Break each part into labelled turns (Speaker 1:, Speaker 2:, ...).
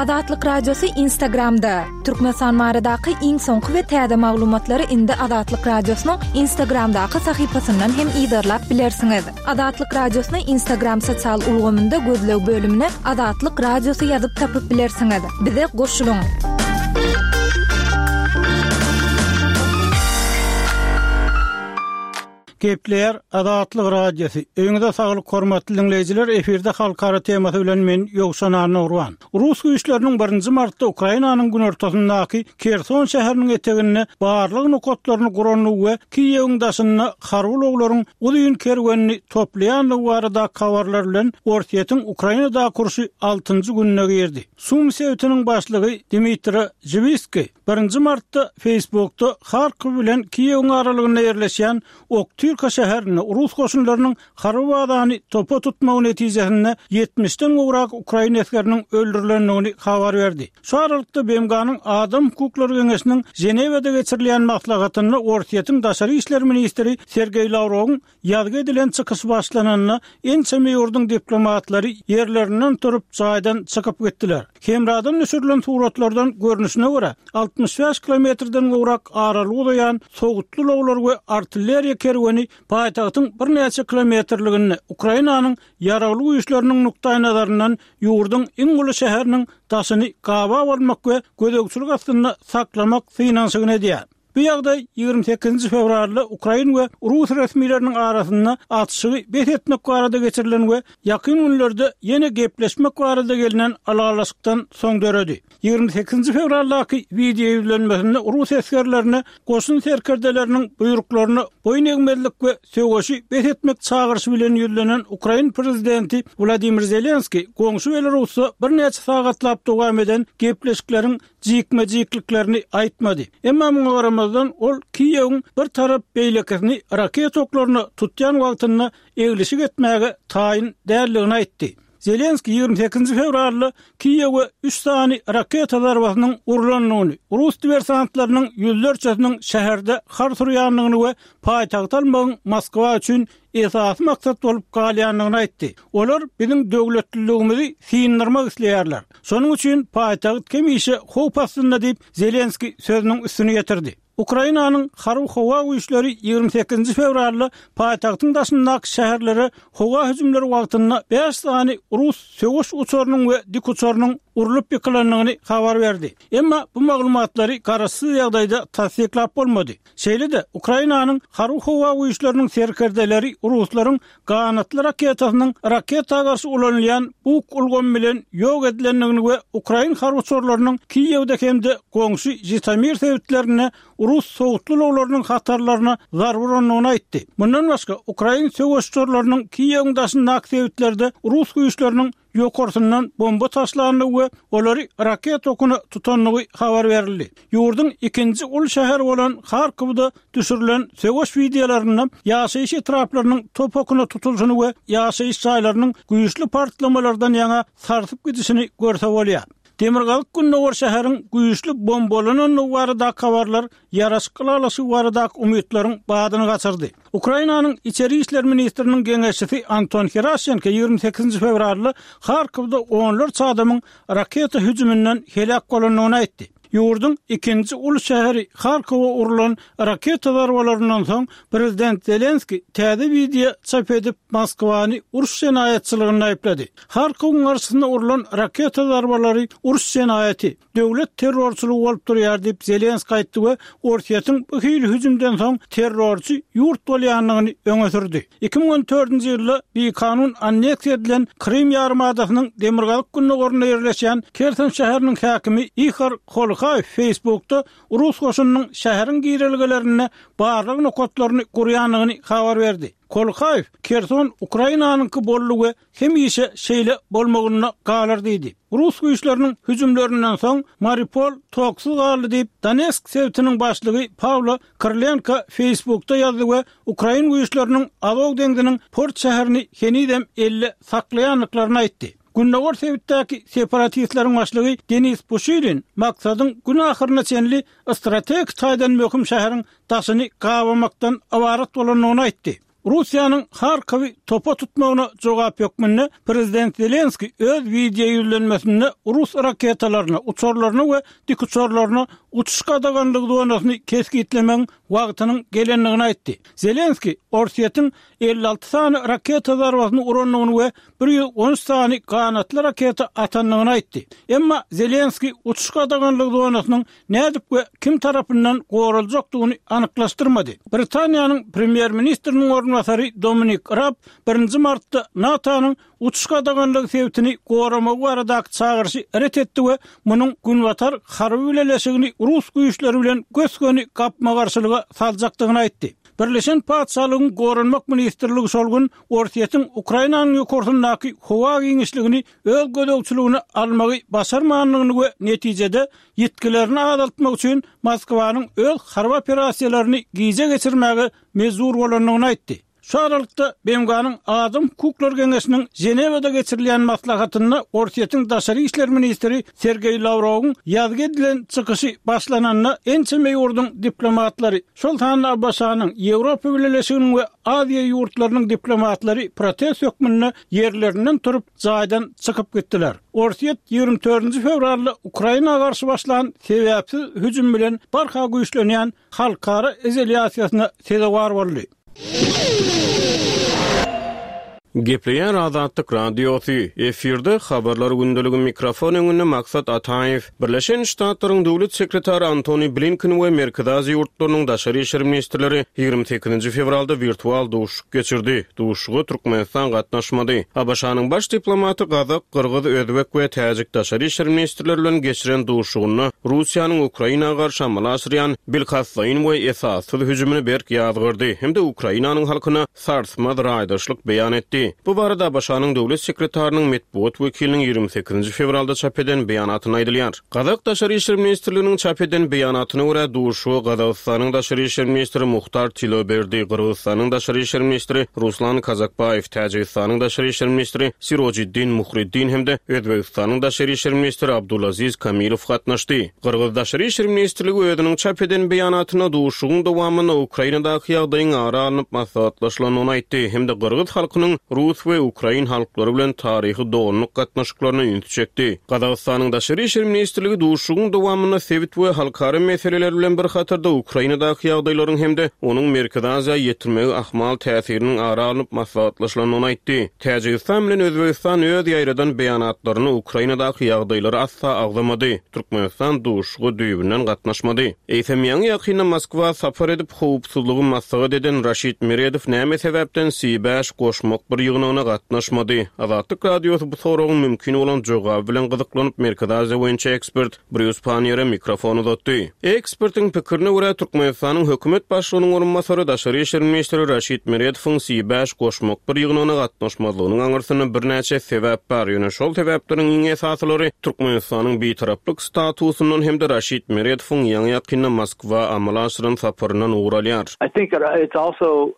Speaker 1: Azatlyk Radiosy Instagramda! Türkmenistan baradaky iň soňky we täze maglumatlary indi Azatlyk Radiosynyň Instagramdaky sahypasyndan hem yzarlap bilersiňiz. Azatlyk Radiosyny Instagram sosial ulgamynda gözleg bölümine Azatlyk Radiosy ýazyp tapyp bilersiňiz. Bize goşulyň!
Speaker 2: Gepleýär Azatlyk Radiosy. Öýüňize saglyk hormatly diňleýjiler, efirde halkara temasy bilen men Ýowşan Annagurban. Rus güýçleriniň birinji martda Ukrainanyň günortasyndaky Kerson şäheriniň eteginde barlag nokatlaryny gurandygy we Kiýewiň daşynda harby ulaglaryň uzyn kerwenini toplaýandygy baradaky habarlar bilen Orsýetiň Ukrainadaky urşy altynjy gününe girdi. Sum sebitiniň başlygy Dmitro Žiwiskiý Birinji martda Facebookda Harkow bilen Kiýewiň aralygynda ýerleşýän Oktyrka şäherinde rus goşunlarynyň harby bazany topa tutmagy netijesinde ýetmişden gowrak ukrain esgeriniň öldürilendigini habar berdi. Şu aralykda BMG-niň Adam hukuklary geňeşiniň Ženewada geçirilýän maslahatynda Orsýetiň daşary işler ministri Sergeý Lawrowyň Ýazgy edilen çykyş başlananda, ençeme ýurduň diplomatlary ýerlerinden turup, jaýdan çykyp gitdiler. Hemradan düşürilen suratlardan görnüşine görä, 65 kilometrden gowrak aralyga uzaýan sowutly ulaglar we artilleriýa kerweni paýtagtyň birnäçe kilometrliginde Ukrainanyň Ýaragly Güýçleriniň nukdaýnazaryndan ýurduň iň uly şäheriniň daşyny gabap almak we gözegçilik astynda saklamak synanyşygyny edýär. Bu ýagdaý 28-nji fewralda ukrain we rus resmileriniň arasynda atyşygy bes etmek barada geçirilen we ýakyn günlerde ýene gepleşmek barada gelnen ylalaşykdan soň döredi. 28-nji fewraldaky wideo ýüzlenmesinde rus esgerlerine goşun serkerdeleriniň buýruklaryna boýun egmezlik we söweşi bes etmek çagyryşy bilen ýüzlenen ukrain prezidenti Wladimir Zelenskiý goňşy Belarusda birnäçe sagatlap dowam eden gepleşikleriň jikme-jikliklerini aýtmady. Emma muňa garamazdan, ol Kiýewiň bir tarap beýlekisini raketa oklaryna tutýan wagtynda eglişik etmäge taýyn däldigini aýtdy. Zelenskiý 28 fewralda Kiýewe üç sany raketa zarbasynyň urlandygyny, rus diwersantlarynyň ýüzlerçesiniň şäherde har surýandygyny we paýtagty almagyň Moskwa üçin esasy maksat bolup galýandygyny aýtdy. Olar biziň döwletliligimizi syndyrmak isleýärler. Şonuň üçin paýtagt hemişe howp astynda diýip, Zelenskiý sözüniň üstüni ýetirdi. Ukrainanyň Harby-howa güýçleri 28-nji fewralda paýtagtyň daşyndaky şäherlere howa hüjümleri wagtynda bäş sany rus söweş uçarynyň we dikuçarynyň urlup ýykylandygyny habar berdi. Emma bu maglumatlary garaşsyz ýagdaýda tassyklap bolmady. Şeýle-de, Ukrainanyň Harby-howa güýçleriniň serkerdeleri ruslaryň ganatly raketasynyň raketa garşy ulanylýan Buk ulgamy bilen ýok edilendigini we ukrain harby uçarlarynyň Kiýewde hem-de goňşy Žitomir sebitlerinde rus sowutly ulaglarynyň hatarlaryna zarba urandygyny aýtdy. Mundan başga, ukrain söweş uçarlarynyň Kiýewiň daşyndaky sebitlerde rus güýçleriniň ýokarsyndan bomba taşlandygy we olary raketa okuna tutandygy habar berildi. Ýurduň ikinji uly şäheri bolan Harkowda düşürilen söweş wideolarynda ýaşaýyş etraplarynyň top okuna tutulyşyny we ýaşaýyş jaýlarynyň güýçli partlamalardan ýaňa sarsyp gidişini görse bolýar. Demirgazyk-gündogar şäheriň güýçli bombalanandygy baradaky habarlar ýaraşyk ylalaşygy baradaky umytlaryň badyny gaçyrdy. Ukrainanyň Içeri işler ministriniň geňeşçisi Anton Heraşenko 28-nji fewralda Harkowda onlarça adamyň raketa hüjüminden heläk bolandygyny aýtdy. Ýurduň ikinji uly şäheri Harkowa urlan raketa zarbalaryndan soň, prezident Zelenskiý täze wideo çap edip, Moskwany uruş jenaýatçylygynda aýyplady. Harkowyň garşysyna urlan raketa zarbalary uruş jenaýaty. Döwlet terrorçylygy bolup durýar diýip, Zelenskiý aýtdy we Orsýetiň bu hili hüjümden soň terrorçy ýurt bolýandygyny öňe sürdi. 2014-nji ýylda bikanun anneksiýa edilen Krym ýarymadasynyň demirgazyk-gündogarynda ýerleşýän Kerson şäheriniň häkimi Ihor Kolhaýew Facebookda rus goşunynyň şäheriň girelgelerinde barlag nokatlaryny gurýandygyny habar berdi. Kolhaýew, Kerson Ukrainanyňky boldy we hemişe şeýle bolmagynda galar diýdi. Rus güýçleriniň hüjümlerinden soň Mariupol toksuz galdy diýip, Donetsk sebitiniň başlygy Pawlo Krylenko Facebookda ýazdy we ukrain güýçleriniň Azow deňziniň port şäherini henizem elde saklaýandyklaryny aýtdy. Gündogar sebitdäki separatistleriň başlygy Denis Puşilin maksadyň gün ahyryna çenli strategik taýdan möhüm şäheriň daşyny gabamakdan ybarat bolandygyny aýtdy. Russiýanyň Harkowy topa tutmagyna jogap hökmünde prezident Zelenskiý öz wideo ýüzlenmesinde rus raketalaryna, uçarlaryna we dikuçarlaryna uçuş gadaganlygy zonasyny kesgitlemegiň wagtynyň gelendigini aýtdy. Zelenskiý Orsýetiň 56 sany raketa zarbasyny urandygyny we 113 sany ganatly raketa atandygyny aýtdy. Emma Zelenskiý uçuş gadaganlygy zonasynyň nädip we kim tarapyndan goraljakdygyny anyklaşdyrmady. Britaniýanyň premýer-ministriniň orunbasary Dominik Raab birinji martda NATO-nyň uçuş gadaganlygy sebitini goramagy baradaky çagyryşy ret etdi we munuň Günbatar harby bileleşigini rus güýçleri bilen gös-göni gapma-garşylyga saljakdygyny aýtdy. Birleşen Patyşalygyň Goranmak ministrligi şol gün Orsýetiň Ukrainanyň ýokarsyndaky howa giňişligini öz gözegçiligine almagy başarmandygyny we netijede ýitgilerini azaltmak üçin Moskwanyň öz harby operasiýalaryny gijä geçirmäge mejbur bolandygyny aýtdy. Şu aralykda, BMG-niň Adam hukuklary geňeşiniň Ženewada geçirilýän maslahatynda Orsýetiň daşary işler ministri Sergeý Lawrowyň ýazgy edilen çykyşy başlananda ençeme ýurduň diplomatlary, şol sanda ABŞ-nyň, Ýewropa Bileleşiginiň we Aziýa ýurtlarynyň diplomatlary protest hökmünde ýerlerinden turup, jaýdan çykyp gitdiler. Orsýet 24-nji fewralda Ukraina garşy başlan sebäpsiz hüjüm bilen barha güýçlenýän halkara izolýasiýasyna sezewar boldy.
Speaker 3: Gepleýär Azatlyk Radiosy, efirde Habarlar gündeligi mikrofon öňünde Maksat Ataýew. Birleşen Ştatlaryň Döwlet sekretary Antony Blinken we Merkezi Aziýa ýurtlarynyň daşary işler ministrleri 28-nji fewralda wirtual duşuşyk geçirdi. Duşuşyga Türkmenistan gatnaşmady. ABŞ-nyň baş diplomaty gazak, gyrgyz, özbek we täjik daşary işler ministrleri bilen geçiren duşuşygynda Russiýanyň Ukraina garşy amala aşyrýan bilkastlaýyn we esassyz hüjümini berk ýazgardy hem-de Ukrainanyň halkyna sarsmaz raýdaşlyk beýan etdi. Bu barada ABŞ-nyň Döwlet sekretarynyň metbugat wekiliniň 28-nji fewralda çap eden beýanatynda aýdylýar. Gazak Daşary işler ministrliginiň çap eden beýanatyna görä, duşuşyga Gazagystanyň Daşary işler ministri Muhtar Tiloberdi, Gyrgyzystanyň Daşary işler ministri Ruslan Kazakbaýew, Täjigistanyň Daşary işler ministri Sirojiddin Muhriddin hem-de Özbegistanyň Daşary işler ministri Abdulaziz Kamilow gatnaşdy. Gyrgyz Daşary işler ministrligi özüniň çap eden beýanatynda duşuşygyň dowamynda Ukrainadaky ýagdaýyň ara alnyp maslahatlaşylandygyny aýtdy hem-de gyrgyz halkynyň rus we ukrain halklary bilen taryhy doganlyk gatnaşyklaryna ünsi çekdi. Gazagystanyň Daşary işler ministrligi duşuşygyň dowamynda sebit we halkara meseleler bilen bir hatarda Ukrainadaky ýagdaýlaryň hem-de onuň Merkezi Aziýa ýetirmegi ahmal täsiriniň ara alnyp maslahatlaşylandygyny aýtdy. Täjigistan bilen Özbegistan öz ýaýradan beýanatlarynda Ukrainadaky ýagdaýlary asla agzamady. Türkmenistan duşuşyga düýbünden gatnaşmady. Eýsem, ýaňy-ýakynda Moskwa sapar edip, howpsuzlygy maslahat eden Raşid Meredow näme sebäpden Si bäş goşmak bir ýygnagyna gatnaşmady? Azatlyk Radiosy bu soragyň mümkin bolan jogaby bilen gyzyklanyp, Merkezi Aziýa boýunça ekspert Brýus Panniýere mikrofon uzatdy. Ekspertiň pikirine görä, Türkmenistanyň hökümet başlygynyň orunbasary, daşary işler ministri Raşid Meredowyň Si bäş goşmak bir ýygnagyna gatnaşmazlygynyň aňyrsynda birnäçe sebäp bar, ýöne şol sebäpleriň iň esasylary Türkmenistanyň bitaraplyk statusyndan hem-de Raşid Meredowyň ýaňy-ýakynda Moskwa amala aşyran saparyndan ugur alýar.
Speaker 4: I think it's also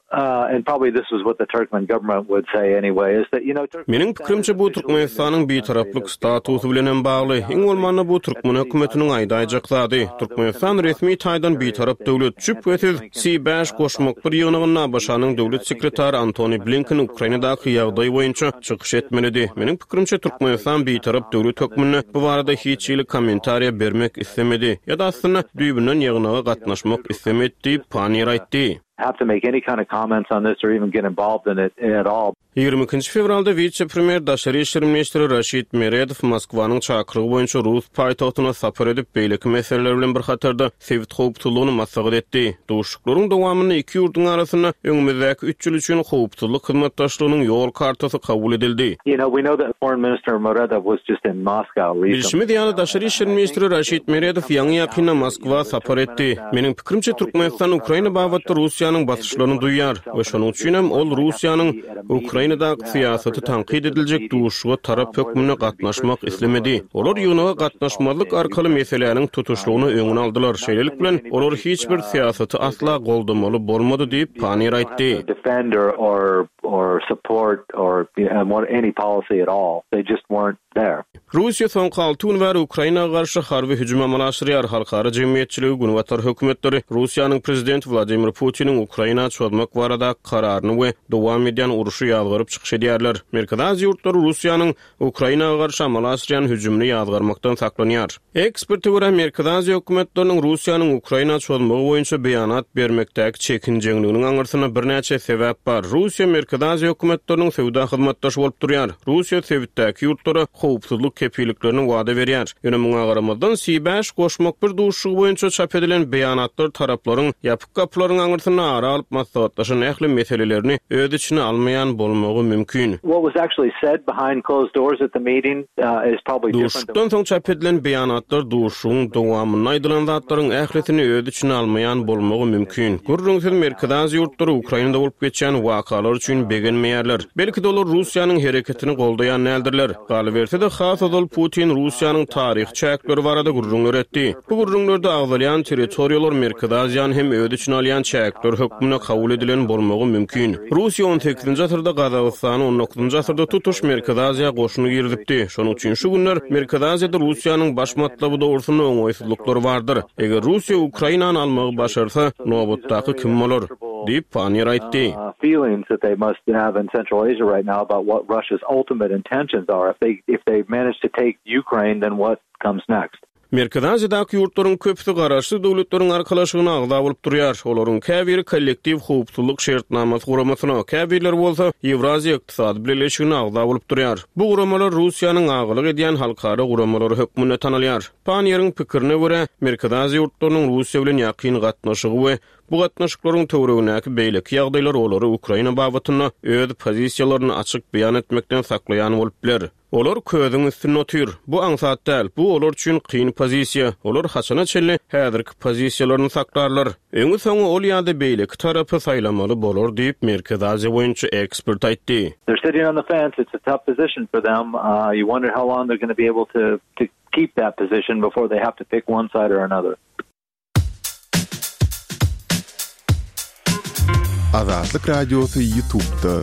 Speaker 4: and probably this is what the Turkmen government would say anyway is that you know
Speaker 3: Meniň pikirimçe bu Türkmenistanyň bitaraplyk statusy bilen hem bagly. Iň bolmanda bu türkmen hökümetiniň aýdaýjak zady. Türkmenistan resmi taýdan bitarap döwlet. Şübhesiz, Si bäş goşmak bir ýygnagynda ABŞ-nyň döwlet sekretary Antony Blinken Ukrainadaky ýagdaý boýunça çykyş etmelidi. Meniň pikirimçe Türkmenistan bitarap döwlet hökmünde bu barada hiç hili kommentariýa bermek islemedi ýa-da aslynda düýbünden ýygnaga gatnaşmak islemedi diýip, Panniýer aýtdy.
Speaker 4: have to make any kind of comments on this or even get involved in it at all.
Speaker 3: 22-nji fewralda wise-premýer, daşary işler ministri Raşid Meredow Moskwanyň çakylygy boýunça rus paýtagtyna sapar edip, beýleki meseleler bilen bir hatarda sebit howpsuzlygyny maslahat etdi. Duşuşyklaryň dowamynda iki ýurduň arasynda öňümizdäki üç ýyl üçin howpsuzlyk hyzmatdaşlygynyň ýol kartasy kabul edildi. Bilşimiz ýaly, daşary işler ministri Raşid Meredow ýaňy-ýakynda Moskwa sapar etdi. Meniň pikirimçe, Türkmenistan Ukraina babatda Russiýanyň basyşlaryny duýýar we şonuň üçinem ol Russiýanyň Ukrainadaky syýasaty tankyt ediljek duşuşyga tarap hökmünde gatnaşmak islemedi. Olar ýygnaga gatnaşmazlyk arkaly meseläniň tutuşlygyna öňüni aldylar. Şeýlelik bilen, olar hiç bir syýasaty asla goldamaly bolmady diýip, Panniýer aýtdy. Russiýa soňky alty gün bäri Ukraina garşy harby hüjüm amala aşyrýar. Halkara jemgyýetçiligi, Günbatar hökümetleri Russiýanyň prezidenti Wladimir Putiniň Ukraina çozmak baradaky kararyny we dowam edýän urşy ýazgaryp çykyş edýärler. Merkezi Aziýa ýurtlary Russiýanyň Ukraina garşy amala aşyrýan hüjümini ýazgarmakdan saklanýar. Eksperte görä, Merkezi Aziýa hökümetleriniň Russiýanyň Ukraina çozmagy boýunça beýanat bermekdäki çekinjeňliginiň aňyrsynda birnäçe sebäp bar. Russiýa Merkezi Aziýa hökümetleriniň söwda hyzmatdaşy bolup durýar. Russiýa sebitdäki ýurtlara howpsuzlyk kepilliklerini wada berýär. Ýöne muňa garamazdan, C bäş goşmak bir duşuşygy boýunça çap edilen beýanatlar taraplaryň ýapyk Gapylaryň aňyrsynda ara alyp maslahatlaşan ähli meselelerini öz içine almaýan bolmagy mümkin.
Speaker 4: What was actually said behind closed doors at the meeting is probably different than.
Speaker 3: Duşuşykdan soň çap edilen beýanatlar duşuşygyň dowamynda aýdylan zatlaryň ählisini öz içine almaýan bolmagy mümkin. Gürrüňsiz Merkezi Aziýa ýurtlary Ukrainada bolup geçýän wakalar üçin begenmeýärler. Belki-de olar Russiýanyň hereketini goldaýan däldirler. Galyberse-de, has ozal Putin Russiýanyň taryhy çäkleri barada gürrüňler etdi. Bu gürrüňlerde agzalýan territoriýalar Merkezi Aziýany hem öz içine alýan çäkler hökmünde kabul edilen bolmagy mümkin. Russiýa on sekizinji asyrda Gazagystany, on dokuzynjy asyrda tutuş Merkezi Aziýa goşun girizipdi. Şonuň üçin şu günler Merkezi Aziýada Russiýanyň baş matlaby dogrusynda oňaýsyzlyklar bardyr. Eger Russiýa Ukrainany almagy başarsa, nobatdaky kim bolar? Diýip, Panniýer aýtdy. Merkezi Aziýadaky ýurtlaryň köpüsi Garaşsyz Döwletleriň Arkalaşygyna agza bolup durýar. Olaryň käbiri Kollektiw howpsuzlyk şertnamasy guramasyna, käbirleri bolsa Ýewraziýa ykdysady bileleşigine agza bolup durýar. Bu guramalar Russiýanyň agalyk edýän halkara guramalary hökmünde tanalýar. Panniýeriň pikirine görä, Merkezi Aziýa ýurtlarynyň Russiýa bilen ýakyn gatnaşygy we bu gatnaşyklaryň töweregindäki beýleki ýagdaýlar olary Ukraina babatynda öz pozisiýalaryny açyk beýan etmekden saklaýan bolup biler. Olar közüň üstünde otyr. Bu aňsat däl. Bu olar üçin kyn pozisiýa. Olar haçana çenli häzirki pozisiýalaryny saklarlar? Öňi-soňy ol ýa-da beýleki tarapy saýlamaly bolar diýip, Merkezi Aziýa boýunça ekspert aýtdy.
Speaker 4: They're sitting on the fence. It's a tough position for them. You wonder how long they're gonna be able to to keep that position before they have to pick one side or another.
Speaker 5: Azatlyk Radiosy Ýutubda.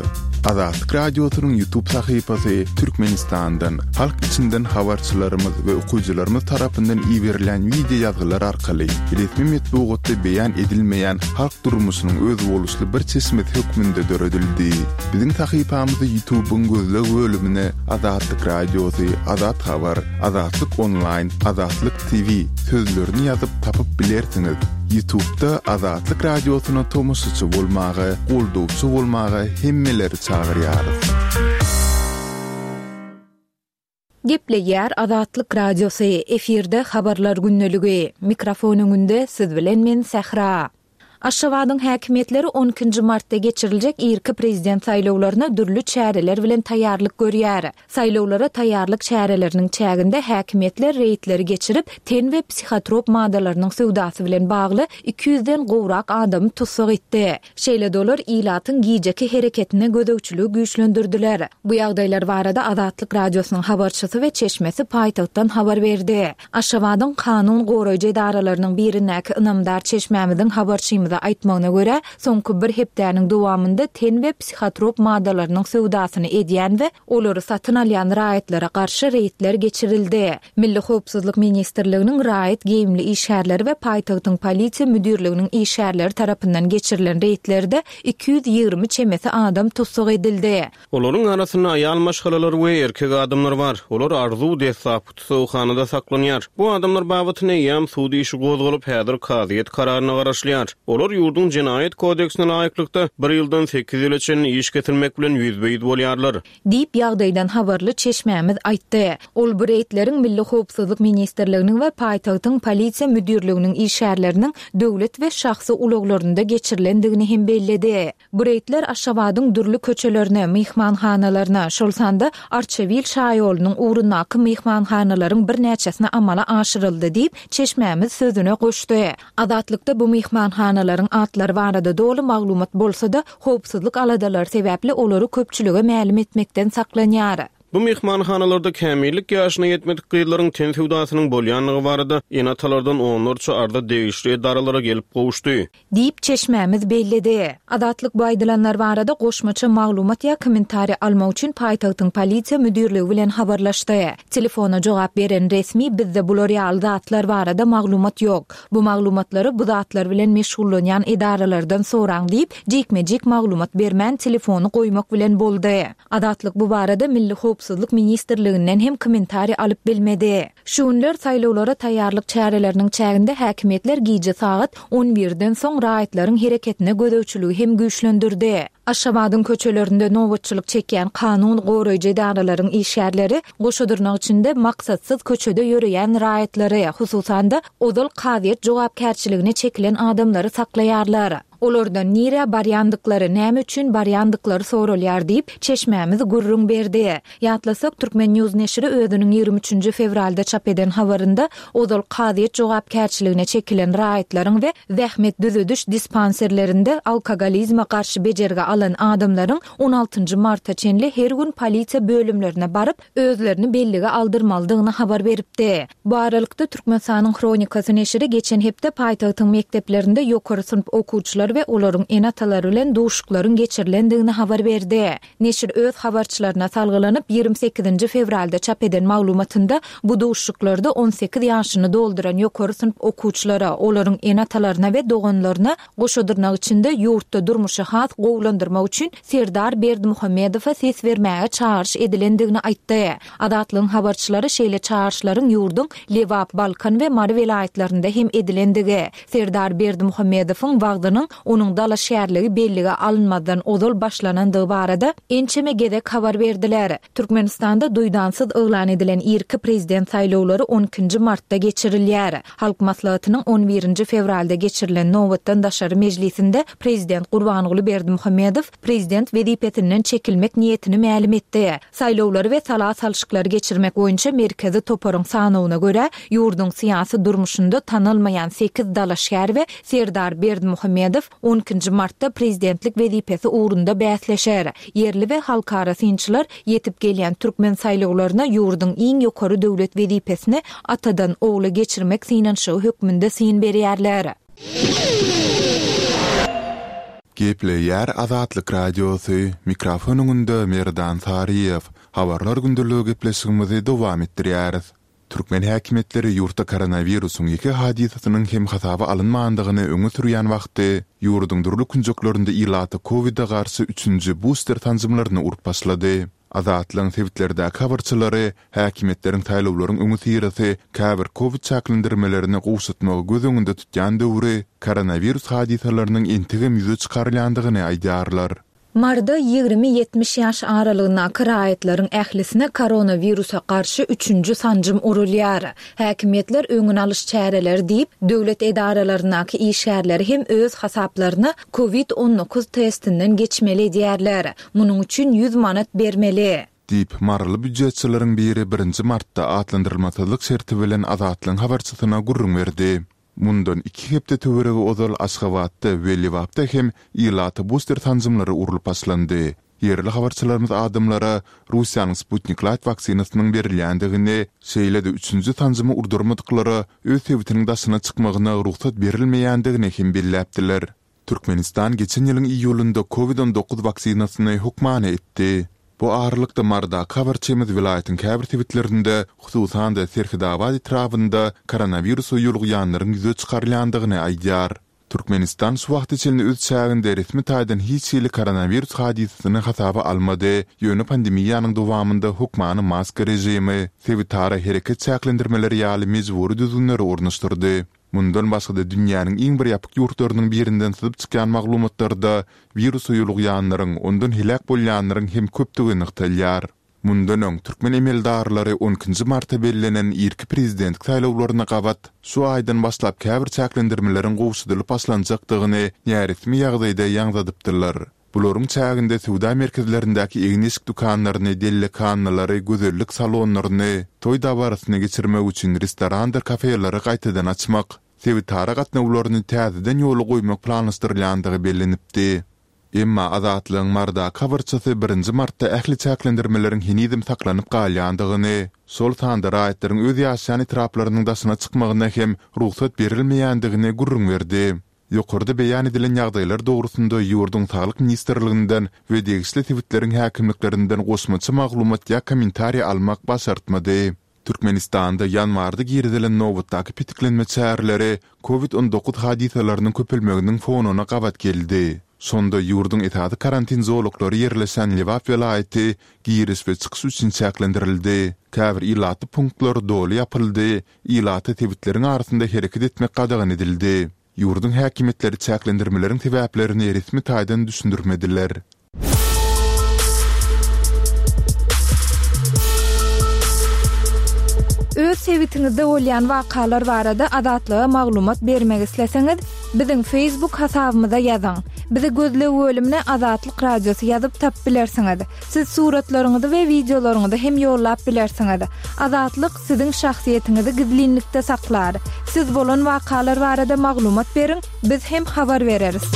Speaker 5: Azatlyk Radiosynyň Ýutub sahypasy Türkmenistandan, halk içinden habarçylarymyz we okyjylarymyz tarapyndan iberilen wideo ýazgylar arkaly resmi metbugatda beýan edilmeýän halk durmuşynyň özboluşly bir çeşmesi hökmünde döredildi. Biziň sahypamyzy Ýutubyň gözleg bölümine Azatlyk Radiosy, Azat Habar, Azatlyk Onlaýn, Azatlyk TV sözlerini ýazyp tapyp bilersiňiz. Ýutubda Azatlyk Radiosyna tomaşaçy bolmaga, goldawçy bolmaga hemmeleri çagyrýarys.
Speaker 1: Gepleýär Azatlyk Radiosy, efirde Habarlar gündeligi. Mikrofon öňünde siz bilen men Sähra. Aşgabadyň häkimiýetleri on ikinji martda geçiriljek irki prezident saýlawlaryna dürli çäreler bilen taýýarlyk görýär. Saýlawlara taýýarlyk çäreleriniň çäginde häkimiýetler reýdleri geçirip, ten we psihotrop maddalarynyň söwdasy bilen bagly iki ýüzden gowrak adamy tussag etdi. Şeýle-de olar ilatyň gijeki hereketine gözegçiligi güýçlendirdiler. Bu ýagdaýlar barada Azatlyk Radiosynyň habarçysy we çeşmesi paýtagtdan habar berdi. Aşgabadyň kanun goraýjy edaralarynyň birindäki ynamdar çeşmämiziň habarçymyza aýtmagyna görä, soňky bir hepdäniň dowamynda ten we psihotrop maddalarynyň söwdasyny edýän we olary satyn alýan raýatlara garşy reýdler geçirildi. Milli howpsuzlyk ministrliginiň raýat geýimli işgärleri we paýtagtyň polisiýa müdirliginiň işgärleri tarapyndan geçirilen reýdlerde 220 çemesi adam tussag edildi.
Speaker 3: Olaryň arasynda aýal maşgalalar we erkek adamlar bar. Olar Arzuw deslapky tussaghanada saklanýar. Bu adamlar babatynda eýýäm sud işi gozgalyp, häzir kazyýet kararyna garaşylýar. Olar ýurduň Jenaýat kodeksine laýyklykda, bir ýyldan sekiz ýyla çenli iş kesilmek bilen ýüzbe-ýüz bolýarlar.
Speaker 1: Diýip, ýagdaýdan habarly çeşmämiz aýtdy. Ol bu reýdleriň Milli howpsuzlyk ministrliginiň we paýtagtyň Polisiýa müdirliginiň işgärleriniň döwlet we şahsy ulaglarynda geçirilendigini hem belledi. Bu reýdler Aşgabadyň dürli köçelerine, myhmanhanalaryna, şol sanda Arçabil şaýolunyň ugrundaky myhmanhanalaryň birnäçesine amala aşyryldy diýip, çeşmämiz sözüne goşdy. Azatlykda bu myhmanhanalaryň atlary barada doly maglumat bolsa-da, howpsuzlyk aladalary sebäpli olary köpçülige mälim etmekden saklanýar.
Speaker 3: Bu myhmanhanalarda kämillik ýaşyna ýetmedik gyzlaryň ten söwdasynyň bolýandygy barada ene-atalardan onlarça arza degişli edaralara gelip gowuşdy.
Speaker 1: Diýip, çeşmämiz belledi. Azatlyk bu aýdylanlar barada goşmaça maglumat ýa kommentariý almak üçin paýtagtyň polisiýa müdirligi bilen habarlaşdy. Telefona jogap beren resmi bizde bular ýaly zatlar barada maglumat ýok. Bu maglumatlary bu zatlar bilen meşgullanýan edaralardan soraň diýip, jikme-jik maglumat bermän telefony goýmak bilen boldy. Azatlyk bu barada Milli howpsuzlyk ministrliginden hem kommentariý alyp bilmedi. Şu günler saýlawlara taýýarlyk çäreleriniň çäginde häkimiýetler gije sagat on birden soň raýatlaryň hereketine gözegçiligi hem güýçlendirdi. Aşgabadyň köçelerinde nobatçylyk çekýän kanun goraýjy edaralaryň işgärleri goşa dyrnak içinde maksatsyz köçede ýöreýän raýatlary, hususan-da, ozal kazyýet jogapkärçiligine çekilen adamlary saklaýarlar. Olardan nirä barýandyklary, näme üçin barýandyklary soralýar diýip, çeşmämiz gürrüň berdi. Ýatlasak, Turkmen. News neşiri özüniň 23 nji fewralda çap eden habarynda ozal kazyýet jogapkärçiligine çekilen raýatlaryň we zähmet düzediş dispanserlerinde alkogolizme garşy bejergi alan adamlaryň on altynjy marta çenli her gün polisiýa bölümlerine baryp, özlerini bellige aldyrmalydygyny habar beripdi. Bu aralykda, Türkmenistanyň Hronikasy neşiri geçen hepde paýtagtyň mekdeplerinde ýokary synp okuwçylary we olaryň ene-atalary bilen duşuşyklaryň geçirilendigini habar berdi. Neşir öz habarçylaryna salgylanyp, 28-nji fewralda çap eden maglumatynda bu duşuşyklarda 18 ýaşyny dolduran ýokary synp okuwçylara, olaryň ene-atalaryna we doganlaryna goşa dyrnak içinde ýurtda durmuşy has gowulandyrmak üçin Serdar Berdimuhamedowa ses bermäge çagyryş edilendigini aýtdy. Azatlygyň habarçylary şeýle çagyryşlaryň ýurduň Lebap, Balkan we Mary welaýatlarynda hem edilendigi, Serdar Berdimuhamedowyň wagzynyň onuň dalaşgärligi bellige alynmazdan ozal başlanandygy barada ençeme gezek habar berdiler. Türkmenistanda duýdansyz yglan edilen irki prezident saýlawlary on ikinji martda geçirilýär. Halk Maslahatynyň on birinji fewralda geçirilen nobatdan daşary mejlisinde prezident Gurbanguly Berdimuhamedow prezident wezipesinden çekilmek niýetini mälim etdi. Saýlawlary we sala salşyklary geçirmek boýunça Merkezi toparyň sanawyna görä, ýurduň syýasy durmuşynda tanalmaýan sekiz dalaşgär we Serdar Berdimuhamedow on ikinji martda prezidentlik wezipesi ugrunda bäsleşer. Ýerli we halkara synçylar ýetip gelýän türkmen saýlawlaryna ýurduň iň ýokary döwlet wezipesini atadan ogla geçirmek synanyşygy hökmünde syn berýärler.
Speaker 5: Gepleýär Azatlyk Radiosy, mikrofon öňünde Merdan Saryýew. Habarlar gündeligi gepleşigimizi dowam etdirýäris. Türkmen häkimiýetleri ýurtda koronawirusyň ýeke hadysasynyň hem hasaba alynmandygyny öňe sürýän wagty, ýurduň dürli künjeklerinde ilata kowide garşy üçünji buster sanjymlaryny urup başlady. Azatlygyň sebitlerdäki habarçylary häkimiýetleriň saýlawlaryň öňüsyrasy käbir kowid çäklendirmelerini gowşatmagy göz öňünde tutýan döwri koronawirus hadysalarynyň entegem ýüze çykarylýandygyny aýdýarlar.
Speaker 1: Maryda 20-70 ýaş aralygyndaky raýatlaryň ählisine koronawirusa garşy üçünji sanjym urulýar. Häkimiýetler öňüni alyş çäreleri diýip, döwlet edaralaryndaky işgärleri hem öz hasaplaryna Covid 19 testinden geçmeli edýärler. Munuň üçin ýüz manat bermeli.
Speaker 5: Diýip, maryly býujetçileriň biri birinji martda atlandyrylmasyzlyk şerti bilen Azatlygyň habarçysyna gürrüň berdi. Mundan iki hepde töweregi ozal Aşgabatda we Lebapda hem ilata buster sanjymlary urlup başlandy. Ýerli habarçylarymyz adamlara Russiýanyň Sputnik Light waksinasynyň berilýändigini, şeýle-de üçünji sanjymy urdurmadyklara öz sebitiniň daşyna çykmagyna rugsat berilmeýändigini hem belläpdiler. Türkmenistan geçen ýylyň iýulynda Covid 19 waksinasyny hökmany etdi. Bu aralykda Marydaky habarçymyz welaýatyň käbir sebitlerinde, hususan-da Serhetabat etrabynda koronawirusa ýolugýanlaryň ýüze çykarylýandygyny aýdýar. Türkmenistan şu wagta çenli öz çäginde resmi taýdan hiç hili koronawirus hadysasyny hasaba almady, ýöne pandemiýanyň dowamynda hökmany maska režimi, sebitara hereket çäklendirmeleri ýaly mejbury düzgünleri ornaşdyrdy. Mundan başga-da dünýäniň iň bir ýapyk ýurtlarynyň birinden syzyp çykýan maglumatlarda wirusa ýolugýanlaryň, ondan heläk bolýanlaryň hem köpdügi nygtalýar. Mundan öň, türkmen emeldarlary on ikinji marta bellenen irki prezidentlik saýlawlaryna gabat, şu aýdan başlap käbir çäklendirmeleriň gowşadylyp başlanjakdygyny näresmi ýagdaýda ýaňzadypdylar. Bularyň çäginde söwda merkezlerindäki egin-eşik dükanlaryny, dellekhanalary, gözellik salonlaryny, toý dabarasyny geçirmek üçin restorandyr kafeleri gaýtadan açmak, sebitara gatnawlaryny täzeden ýola goýmak planlaşdyrylýandygy bellenipdi. Emma Azatlygyň Marydaky habarçysy birinji martda ähli çäklendirmeleriň henizem saklanyp galýandygyny, şol sanda raýatlaryň öz ýaşaýan etraplarynyň daşyna çykmagyna hem rugsat berilmeýändigini gürrüň berdi. Ýokarda beýan edilen ýagdaýlar dogrusynda ýurduň Saglyk ministrliginden we degişli sebitleriň häkimliklerinden goşmaça maglumat ýa kommentariý almak başartmady. Türkmenistanda ýanwarda girizilen nobatdaky petiklenme çäreleri Covid 19 hadysalarynyň köpelmeginiň fonuna gabat geldi. Şonda ýurduň esasy karantin zolaklary ýerleşen Lebap welaýaty giriş we çykyş üçin çäklendirildi. Käbir ilatly punktlar doly ýapyldy, ilata sebitleriň arasynda hereket etmek gadagan edildi. Ýurduň häkimiýetleri çäklendirmeleriň sebäplerini resmi taýdan düşündirmediler.
Speaker 1: Öz sebitiňizde bolýan wakalar barada Azatlyga maglumat bermek isleseňiz, biziň Facebook hasabymyza ýazyň. Bizi gözleg bölümine Azatlyk Radiosy ýazyp tapyp bilersiňiz. Siz suratlaryňyzy we wideolaryňyzy hem ýollap bilersiňiz. Azatlyk siziň şahsyýetiňizi gizlinlikde saklar. Siz bolan wakalar barada maglumat beriň, biz hem habar bereris.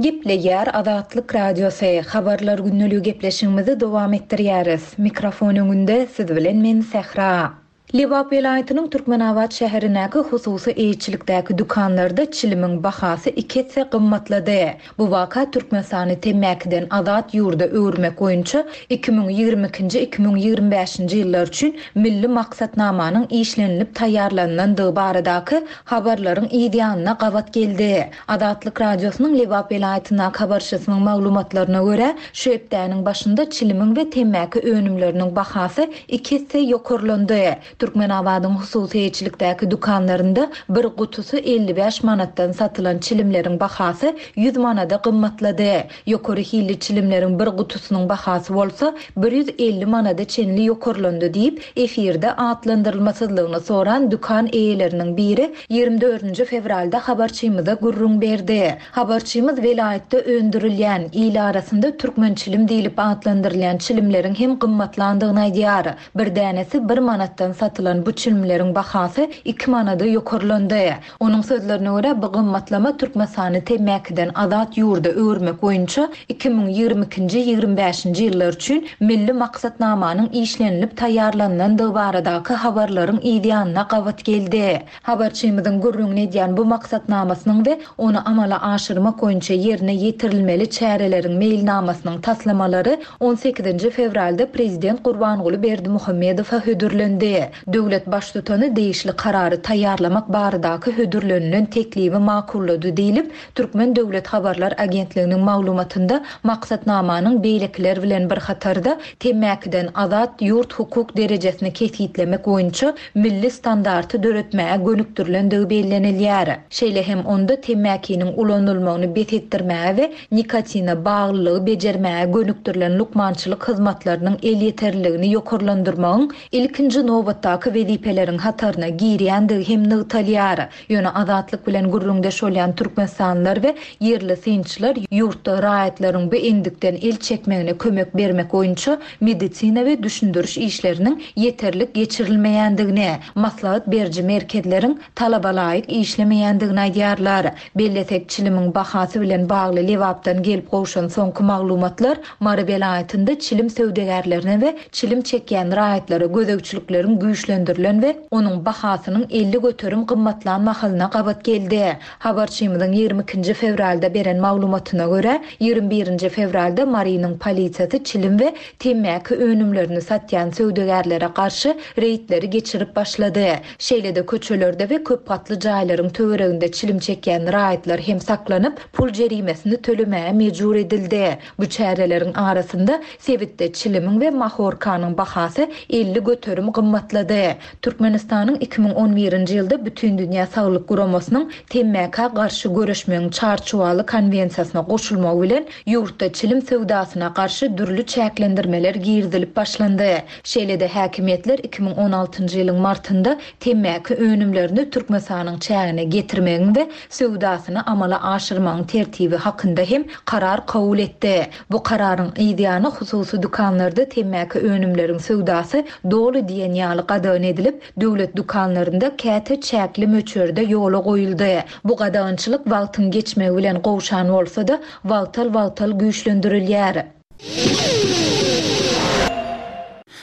Speaker 6: Gepleýär Azatlyk Radiosy, Habarlar gündeligi gepleşigimizi dowam etdirýäris. Mikrofon öňünde siz bilen men Sähra. Lebap welaýatynyň Türkmenabat şäherindäki hususy eýeçilikdäki dükanlarda çilimiň bahasy iki esse gymmatlady. Bu waka Türkmenistany temmäkiden azat ýurda öwürmek boýunça 2022-nji, 2025-nji ýyllar üçin milli maksatnamanyň işlenilip taýýarlanylandygy baradaky habarlaryň yz ýanyna gabat geldi. Azatlyk Radiosynyň Lebap welaýatyndaky habarçysynyň maglumatlaryna görä, şu hepdäniň başynda çilimiň we temmäki önümleriniň bahasy iki esse ýokarlandy. Türkmenabadyň hususy eýeçilikdäki dükanlarynda bir gutusy 55 manatdan satylan çilimleriň bahasy 100 manada gymmatlady. Ýokary hilli çilimleriň bir gutusynyň bahasy bolsa 150 manada çenli ýokarlandy diýip, efirde atlandyrylmasyzlygyny soran dükan eýeleriniň biri 24-nji fewralda habarçymyza gürrüň berdi. Habarçymyz welaýatda öndürilýän, il arasynda türkmen çilim diýlip atlandyrylýan çilimleriň hem gymmatlandygyny aýdýar. Bir dänesi bir manatdan satylan bu çilimleriň bahasy iki manada ýokarlandy. Onuň sözlerine görä, bu gymmatlama Türkmenistany temmäkiden azat ýurda öwürmek boýunça 2022-nji, 25-nji ýyllar üçin milli maksatnamanyň işlenilip taýýarlanylandygy baradaky habarlaryň yzýanyna gabat geldi. Habarçymyzyň gürrüňini edýän bu maksatnamasynyň we ony amala aşyrmak boýunça ýerine ýetirilmeli çäreleriň meýilnamasynyň taslamalary on sekizinji fewralda prezident Gurbanguly Berdimuhamedowa hödürlendi. Döwlet Baştutany degişli karary taýýarlamak baradaky hödürlenilen teklibi makullady diýlip, Türkmen döwlet habarlar agentliginiň maglumatynda maksatnamanyň beýlekiler bilen bir hatarda temmäkiden azat ýurt hukuk derejesini kesgitlemek boýunça milli standarty döretmäge gönükdirilendigi bellenilýär. Şeýle hem onda temmäkiniň ulanylmagyny bes etdirmäge we nikotine baglylygy bejermäge gönükdirilen lukmançylyk hyzmatlarynyň elýeterliligini ýokarlandyrmagyň ilkinji nobatdaky wezipeleriň hataryna girýändigi hem nygtalýar. Ýöne Azatlyk bilen gürrüňdeş bolýan türkmenistanlylar we ýerli synçylar ýurtda raýatlaryň bu endikden el çekmegine kömek bermek boýunça medisina we düşündiriş işleriniň ýeterlik geçirilmeýändigini, maslahat beriji merkezleriň talabalaýyk işlemeýändigini aýdýarlar. Bellesek, çilimiň bahasy bilen bagly Lebapdan gelip gowşan soňky maglumatlar Mary welaýatynda çilim söwdagärlerine we çilim çekýän raýatlara gözegçilikleriň güýçlendirilen we onuň bahasynyň 50% gymmatlan mahalyna gabat geldi. Habarçymyzyň 22-nji fewralda beren maglumatyna görä, 21-nji fewralda Marynyň polisiýasy çilim we temmäki önümlerini satýan söwdagärlere garşy reýdleri geçirip başlady. Şeýle-de köçelerde we köp gatly jaýlaryň töwereginde çilim çekýän raýatlar hem saklanyp, pul jerimesini tölemäge mejbur edildi. Bu çäreleriň arasynda sebitde çilimiň we mahorkanyň bahasy 50% gymmatlady. Türkmenistanyň 2011-nji ýylda Bütindünýä Saglyk Guramasynyň temmäkä garşy göreşmegiň çarçuwaly konwensiýasyna goşulmagy bilen, ýurtda çilim söwdasyna garşy dürli çäklendirmeler girizilip başlandy. Şeýle-de häkimiýetler 2016-njy ýylyň martynda temmäki önümlerini Türkmenistanyň çägine getirmegiň we söwdasyny amala aşyrmagyň tertibi hakynda hem karar kabul etdi. Bu kararyň yzýany hususy dükanlarda temmäki önümleriň söwdasy doly diýen ýaly. gadagan edilip, döwlet dükanlarynda käte çäkli möçberde ýola goýuldy. Bu gadagançylyk wagtyň geçmegi bilen gowşan bolsa-da, wagtal-wagtal güýçlendirilýär.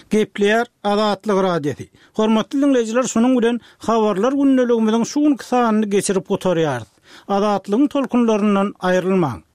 Speaker 2: Gepleýär Azatlyk Radiosy. Hormatly diňleýjiler şunuň bilen Habarlar gündeligimiziň şu günki sanyny geçirip gutarýarys. Azatlygyň tolkunlaryndan aýrylmaň.